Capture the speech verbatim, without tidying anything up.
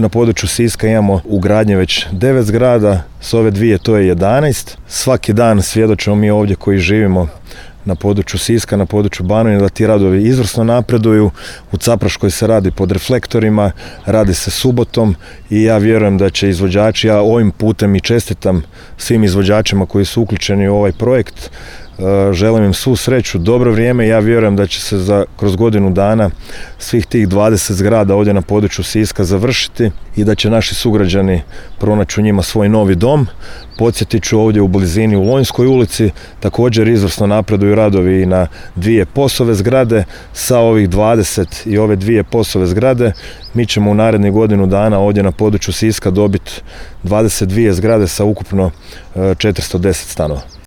na području Siska imamo u gradnji već devet zgrada, s ove dvije to je jedanaest. Svaki dan svjedočimo mi ovdje koji živimo na području Siska, na području Banovine, da ti radovi izvrsno napreduju. U Capraškoj se radi pod reflektorima, radi se subotom i ja vjerujem da će izvođači, ja ovim putem i čestitam svim izvođačima koji su uključeni u ovaj projekt. Želim im svu sreću, dobro vrijeme. Ja vjerujem da će se za, kroz godinu dana svih tih dvadeset zgrada ovdje na području Siska završiti i da će naši sugrađani pronaći u njima svoj novi dom. Podsjetit ću, ovdje u blizini u Lonjskoj ulici također izvrsno napreduju radovi i na dvije POS-ove zgrade. Sa ovih dvadeset i ove dvije POS-ove zgrade mi ćemo u narednih godinu dana ovdje na području Siska dobiti dvadeset dvije zgrade sa ukupno četiristo deset stanova.